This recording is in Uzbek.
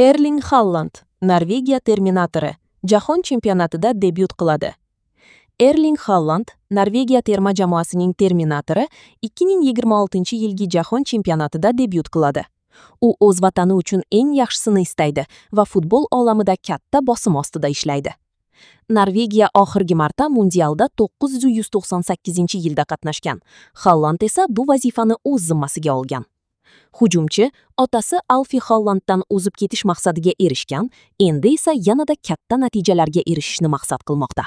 Erling Haaland, Norvegiya terminatori, Jahon chempionatida debyut qiladi. Erling Haaland, Norvegiya terma jamoasining terminatori, 2026-yilgi Jahon chempionatida debyut qiladi. U o'z vatani uchun eng yaxshisini istaydi va futbol olamida katta bosim ostida ishlaydi. Norvegiya oxirgi marta mundialda 1998-yilda qatnashgan. Haaland esa bu vazifani o'z zimmasiga olgan. Hujumchi otasi Alfi Haalanddan o'zib ketish maqsadiga erishgan, endi esa yanada katta natijalarga erishishni maqsad qilmoqda.